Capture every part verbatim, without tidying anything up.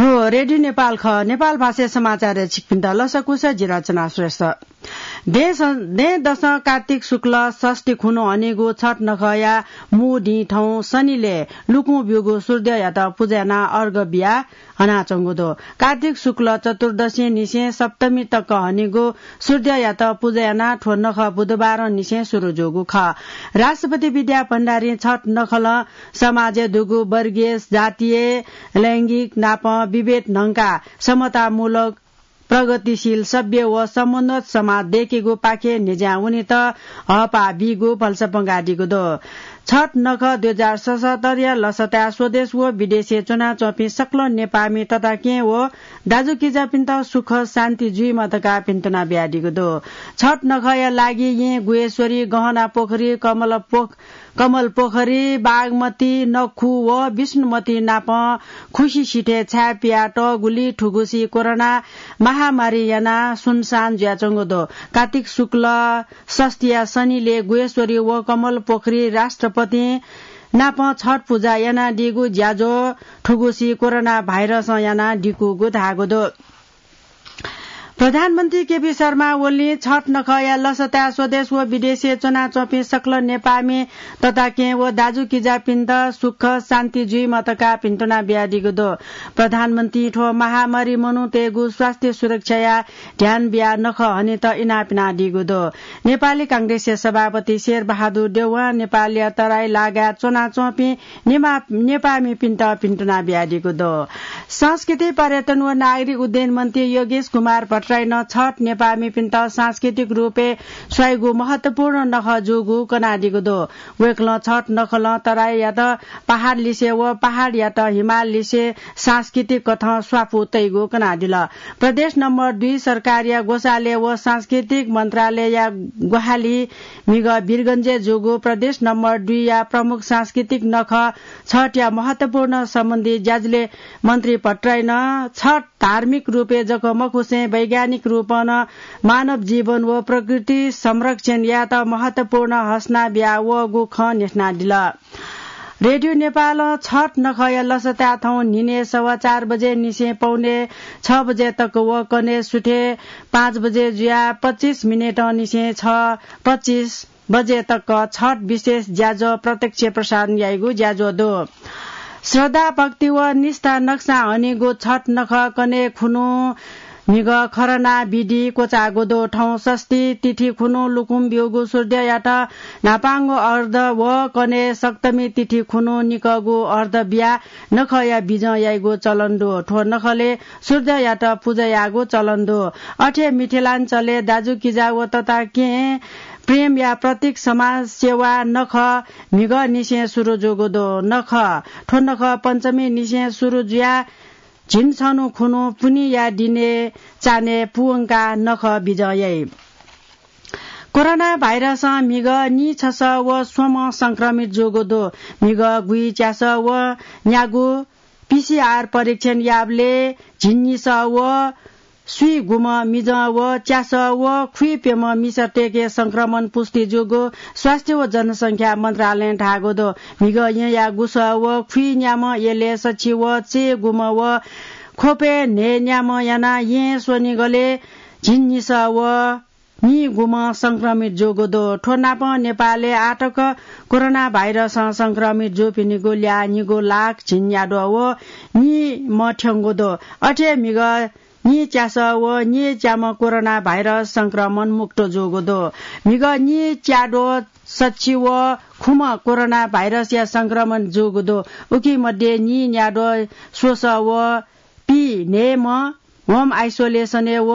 हो, रेडियो नेपाल खः। नेपाल भाषाय् समाचारय् छिकपिन्त लसकुस, जि रचना श्रेष्ठ। देश, दँय्‌दसं कार्तिक शुक्ल षष्ठी खुन्हु हनीगु छठ नखःया मू दिं थौं शनिलय् लुकुं ब्यूगु सूर्ययात पुजा यानाः अर्घ बियाः हनाच्वंगु दु। कार्तिक शुक्ल चतुर्दशीनिसें सप्तमी तक हनीगु सूर्ययात पुजा यानाः थ्व नखः बुधबारंनिसें सुरु जूगु खः। राष्ट्रपति विद्या भण्डारीं छठ नखलं समाजय् दुगु वर्गीय, जातीय, लैंगिक नापं विभेद न्हंकाः समतामूलक प्रगतिशील, सभ्य व समुन्नत समाज दयेकेगु पाखे न्ह्यज्यां वनेत हःपाः बीगु भलसा पंगादीगु दु। छठ नखः दुई हजार सतहत्तरया लसताय् स्वदेश व विदेशय् च्वनाच्वंपिं सकल नेपाःमि तताकेहेँ व दाजुकिजापिन्त सुख शान्ति जुइमा धकाः भिन्तुना बियादीगु दु। छठ नखःया लागि येँ गुह्येश्वरी, गहना पोखरी, कमल पोख-, कमल पोखरी, बागमती, नखु व विष्णुमती नाप खुसि सिथय् छाय् पियातःगुलिं थुगुसी कोरोना महामारी यानाः सुनसान जुयाच्वंगु दु। कार्तिक शुक्ल षष्ठीया शनिलय् गुह्येश्वरी व कमल पोखरी राष्ट्रपतिं नाप छठ पुजा यानादीगु ज्याझ्वः थुगुसी कोरोना भाइरसं यानाः दिकूगु धाःगु दु। प्रधानमन्त्री केपी शर्मा ओलीं छठ नखःया लसताय् स्वदेश व विदेशय् च्वनाच्वंपिं सकल नेपाःमि तताकेहेँ व दाजुकिजापिन्त सुख शान्ति जुइमा धकाः भिन्तुना बियादीगु दु। प्रधानमन्त्रीं थ्व महामारी मनूतय्‌गु स्वास्थ्य सुरक्षाया ध्यान बियाः नखः हनेत इनाप यानादीगु दु। नेपाली कांग्रेसया सभापति शेरबहादुर देउवां नेपालया तराई लागाय् च्वनाच्वंपिं नेपा-, नेपाःमिपिन्त भिन्तुना बियादीगु दु। संस्कृति, पर्यटन व नागरिक उड्डयन मन्त्री योगेश कुमार भट्टराईं छठ नेपाःमिपिन्त सांस्कृतिक रूपय् स्वाइगु महत्वपूर्ण नखः जूगु कनादीगु दु। वय्‌कलं छठ नखलं तराईयात पहाड लिसे व पहाडयात हिमाल लिसे सांस्कृतिक कथं स्वापू तइगु कनादिल। प्रदेश नम्बर दुई सरकारया ग्वसालय् व सांस्कृतिक मन्त्रालयया ग्वाहालिइ म्हिगः वीरगञ्जय् जूगु प्रदेश नम्बर दुईया प्रमुख सांस्कृतिक नखः छठया महत्वपूर्ण सम्बन्धी ज्याझ्वलय् मन्त्री भट्टराईं छठ धार्मिक रूपय् जक मखुसें वैज्ञानिक रूपं नं मानव जीवन व प्रकृति संरक्षण यायेत महत्वपूर्ण हसना बियावःगु खँ न्ह्यथनादिल। रेडियो नेपालं छठ नखःया लसताय् थौं न्हिनय् सवा चार बजेनिसें पौने छ बजे तक व कन्हय् सुथय् पाँच बजे जुयाः पच्चिस मिनेटंनिसें छ पच्चिस बजे तक छठ विशेष ज्याझ्वः प्रत्यक्ष प्रसारण याइगु ज्याझ्वः दु। श्रद्धा, भक्ति व निष्ठा नक्सां हनीगु छठ नखः कन्हय् खुन्हु म्हिगः खरना विधि क्वचाःगु दु। थौं षष्ठी तिथि खुन्हु लुकुं ब्यूगु सूर्ययात न्हापांगु अर्ध व कन्हय् सप्तमी तिथि खुन्हु निकःगु अर्ध बियाः नखःया बिजं याइगु चलन दु। थ्व नखलय् सूर्ययात पुजा याःगु चलन दु। अथे मिथिलाञ्चलय् दाजुकिजा व तताकेहेँ प्रेमया प्रतीक समाज सेवा नखः म्हिगःनिसें सुरु जूगु दु। नखः, थ्व नखः पञ्चमीनिसें सुरु जुयाः झिंछन्हु खुन्हु पुन्हिया दिनय् चान्हय् पूवंकाः नखः बिजं याइ। कोरोना भाइरसं म्हिगः नीछसः व स्वम्ह संक्रमित जूगु दु। म्हिगः गुइच्यासः व न्यागू पीसीआर परीक्षण याःबलय् झिंनिसः व स्वीगुम्ह मिजं व च्यासः व खुइप्यम्ह मिसातय्‌के संक्रमण पुष्टि जूगु स्वास्थ्य व जनसंख्या मन्त्रालयं धाःगु दु। म्हिगः येँया गुसः व खुइन्याम्ह, यलय् सछि व चय्‌गुम्ह व ख्वपय् न्हय्‌न्याम्ह यानाः येँ स्वनिगलय् झिंनिसः व नीगुम्ह संक्रमित जूगु दु। थ्व नापं नेपालय् आःतक कोरोना भाइरसं संक्रमित जूपिनिगु ल्याः निगू लाख झिंन्याद्वः व नीम्ह थ्यंगु दु। अथे म्हिगः नीच्यासः व नीच्याम्ह कोरोना भाइरस संक्रमण मुक्त जूगु दु। म्हिगः नीच्याद्वः सछि व खुम्ह कोरोना भाइरसया संक्रमण जूगु दु। उकी मध्ये नीन्याद्वः स्वसः व पीन्हय्‌म्ह होम आइसोलेसनय् व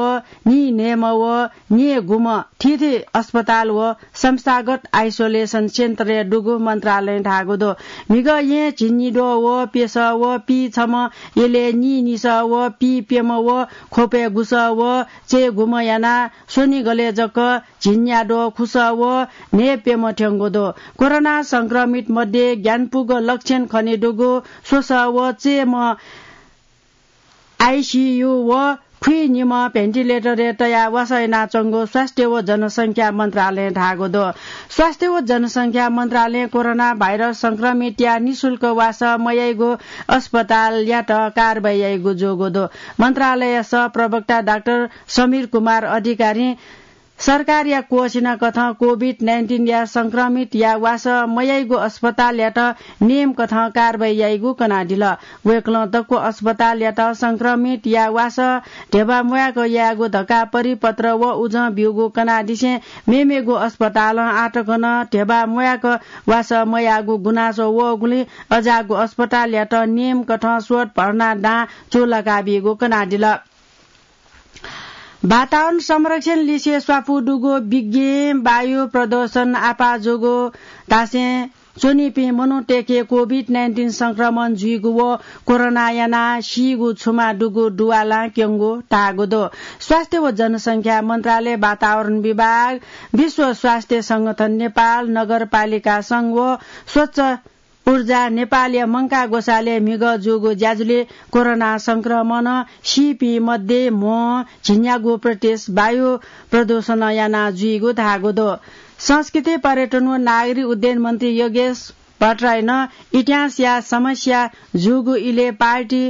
नीन्हय्‌म्ह व न्हय्‌गुम्ह थीथी अस्पताल व संस्थागत आइसोलेसन सेन्टरय् दुगु मन्त्रालयं धाःगु दु। म्हिगः येँ झिंनिद्वः व प्यसः व पीछम्ह, यलय् नीनिसः व पीप्यम्ह व ख्वपय् गुसः व चय्‌गुम्ह यानाः स्वनिगलय् जक झिंन्याद्वः खुसः व न्हय्‌प्यम्ह थ्यंगु दु। कोरोना संक्रमित मध्ये ग्यानापुगु लक्षण खनेदुगु स्वसः व चय्‌म्ह आइसीयू व खुइनिम्ह भेन्टिलेटरय् तयाः वासः यानाच्वंगु स्वास्थ्य व जनसंख्या मन्त्रालयं धाःगु दु। स्वास्थ्य व जनसंख्या मन्त्रालयं कोरोना भाइरस संक्रमितया निशुल्क वासः मयाइगु अस्पतालयात कारवाही याइगु जूगु दु। मन्त्रालयया सहप्रवक्ता डाक्टर समीर कुमार अधिकारीं सरकारया क्वःछिना कथं कोभिड नाइन्टिनया संक्रमितया वासः मयाइगु अस्पतालयात नियम कथं कारवाही याइगु कनादिल। वय्कलं दक्व अस्पतालयात संक्रमितया वासः ध्यबा म्वाय्क यायेगु धकाः परिपत्र व उजं ब्यूगु कनादिसें मेमेगु अस्पतालं आःतक नं ध्यबा म्वाय्क वासः मयाःगु गुनासो वःगुलिं अज्याःगु अस्पतालयात नियम कथं स्वत भर्ना दां चूलाका बीगु कनादिल। वातावरण संरक्षण लिसे स्वापू दुगु विज्ञ वायु प्रदूषण आपाः जूगु धासें च्वनीपिं मनूतय्के कोभिड नाइन्टिन संक्रमण जुइगु व कोरोना यानाः सीगु छुमा दुगु दुवालां क्यंगु धाःगु दु। स्वास्थ्य व जनसंख्या मन्त्रालय, वातावरण विभाग, विश्व स्वास्थ्य संगठन नेपाल, नगरपालिका संघ व स्वच्छ ऊर्जा नेपालया मंकाः ग्वसालय् म्हिगः जूगु ज्याझ्वलय् कोरोना संक्रमणं सीपिं मध्ये म्हो झिंन्यागू प्रतिशत वायु प्रदूषणं यानाः जुइगु धाःगु दु। संस्कृति, पर्यटन व नागरिक उड्डयन मन्त्री योगेश भट्टराईनं इतिहासया समस्या जूगु इलय् पार्टी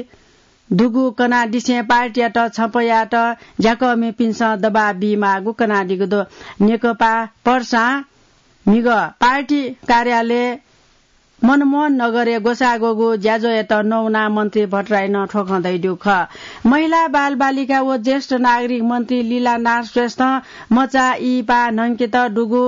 दुगु कनादिसें पार्टीयात छपयात ज्याकःमिपिन्सं दबाब बीमाःगु कनादीगु दु। नेकपा पर्सां म्हिगः पार्टी कार्यालय मनमोहन नगरय् ग्वसाः ग्वःगु ज्याझ्वःयात नवानाः मन्त्री भट्टराईनं थ्व खँ धयादीगु खः। महिला, बालबालिका व ज्येष्ठ नागरिक मन्त्री लीलानाथ श्रेष्ठं मचा इहिपाः न्हंकेत दुगु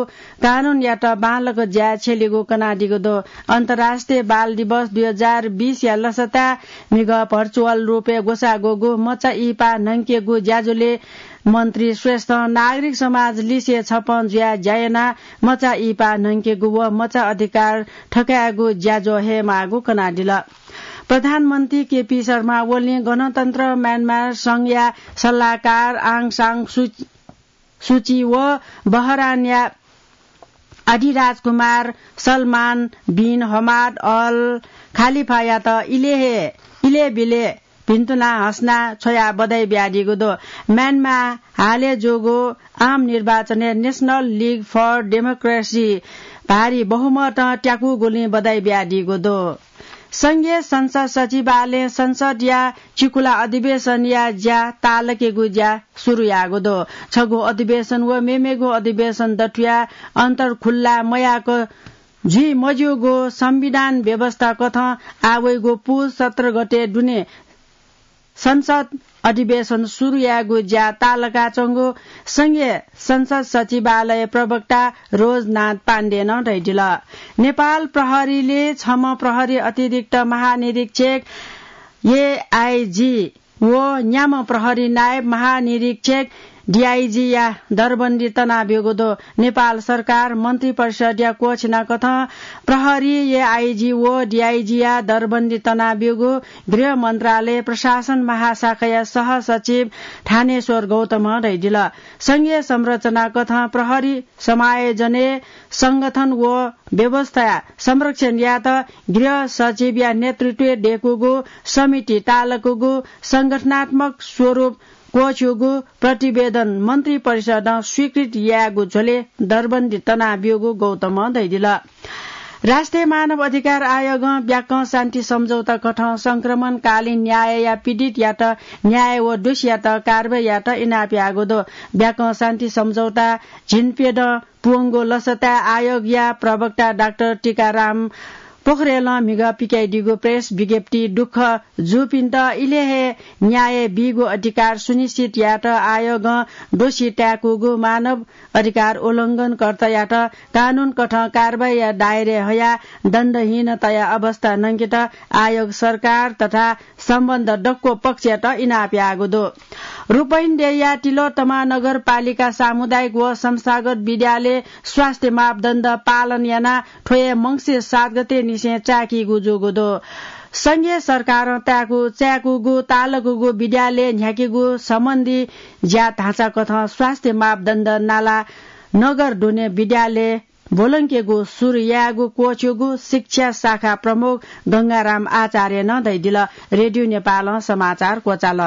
कानूनयात बांलाक ज्याय् छ्यलीगु कनादीगु दु। अन्तर्राष्ट्रिय बाल दिवस दुई हजार बीसया लसताय् म्हिगः भर्चुअल रूपय् ग्वसाः ग्वःगु मचा इहिपाः न्हंकेगु ज्याझ्वलय् मन्त्री श्रेष्ठं नागरिक समाज लिसे छपं जुयाः ज्या यानाः मचा इहिपाः न्हंकेगु व मचा अधिकार थकायेगु ज्याझ्वः हयेमाःगु कनादिल। प्रधानमन्त्री केपी शर्मा ओलीं गणतन्त्र म्यानमार संघया सल्लाहकार आङ सान सु-, सुची व बहरानया अधिराजकुमार सलमान बिन हमाद अल खालिफायात इलय् हे, इलय् बिलय् भिन्तुना हसना छ्वयाः बधाई बियादीगु दु। म्यानमार हालय् जूगु आम निर्वाचनय् National League for Democracy भारी बहुमतं त्याकूगुलिं बधाई बियादीगु दु। संघीय संसद सचिवालयं संसदया चिकुला अधिवेशनया ज्या ताःलाकेगु ज्या सुरु याःगु दु। छगू अधिवेशन व मेमेगु अधिवेशन दथुया अन्तर खुल्ला मयाक जुइ मज्यूगु संविधान व्यवस्था कथं आः वइगु पुस सत्र गते दुने संसद अधिवेशन सुरु यायेगु ज्या ताःलाकाच्वंगु संघीय संसद सचिवालय प्रवक्ता रोजनाथ पाण्डेनं धयादिल। नेपाल प्रहरीले छम्ह प्रहरी अतिरिक्त महानिरीक्षक, एआइजी, व न्याम्ह प्रहरी नायब महानिरीक्षक, डिआइजीया दरबन्दी तनाब्यूगु दु। नेपाल सरकार मन्त्री परिषदया क्वःछिना कथं प्रहरी एआइजी व डिआइजीया दरबन्दी तनाब्यूगु गृह मन्त्रालय प्रशासन महाशाखाया सहसचिव थानेश्वर गौतमं धयादिल। संघीय संरचना कथं प्रहरी समायोजनय् संगठन व व्यवस्था संरक्षण यायेत गृह सचिवया नेतृत्वय् दयेकूगु समिति ताःलाकूगु संगठनात्मक स्वरूप क्वःछ्यूगु प्रतिवेदन मन्त्री परिषदं स्वीकृत यायेगु झ्वलय् दरबन्दी तनाब्यूगु गौतमं धयादिल। राष्ट्रिय मानव अधिकार आयोगं ब्याकं शान्ति सम्झौता कथं संक्रमणकालीन न्यायया पीडितयात न्याय व दोषीयात कारवाही यायेत इनाप याःगु दु। ब्याकं शान्ति सम्झौता झिंप्यदँ पूवंगु लसताय् आयोगया प्रवक्ता डाक्टर टीकाराम पोखरेलं म्हिगः पिकाइदीगु प्रेस विज्ञप्ति दुःख जूपिन्त इलय् हे न्याय बीगु अधिकार सुनिश्चित यायेत आयोगं दोषी ताय्कूगु मानव अधिकार उल्लंघनकर्तायात कानून कथं कारवाहीया दायराय् हयाः दण्डहीनताया अवस्था नंकेत आयोग सरकार तथा सम्बन्ध दक्व पक्षयात इनाप याःगु दु। रूपहिन्देया तिलोत्तमा नगरपालिका सामुदायिक व संस्थागत विद्यालय स्वास्थ्य मापदण्ड पालन यानाः थ्व हे मंसिर सात गते निसें चाय्कीगु जूगु दु। संघीय सरकारं ताय्कू, चाय्कूगु ताःलाकूगु विद्यालय न्ह्याकेगु सम्बन्धी ज्या धाःसा कथं स्वास्थ्य मापदण्ड नाला नगर दुने विद्यालय ब्वलंकेगु सुरु यायेगु क्वःछ्यूगु शिक्षा शाखा प्रमुख गंगाराम आचार्यनं धयादिल। रेडियो नेपालं समाचार क्वचाल।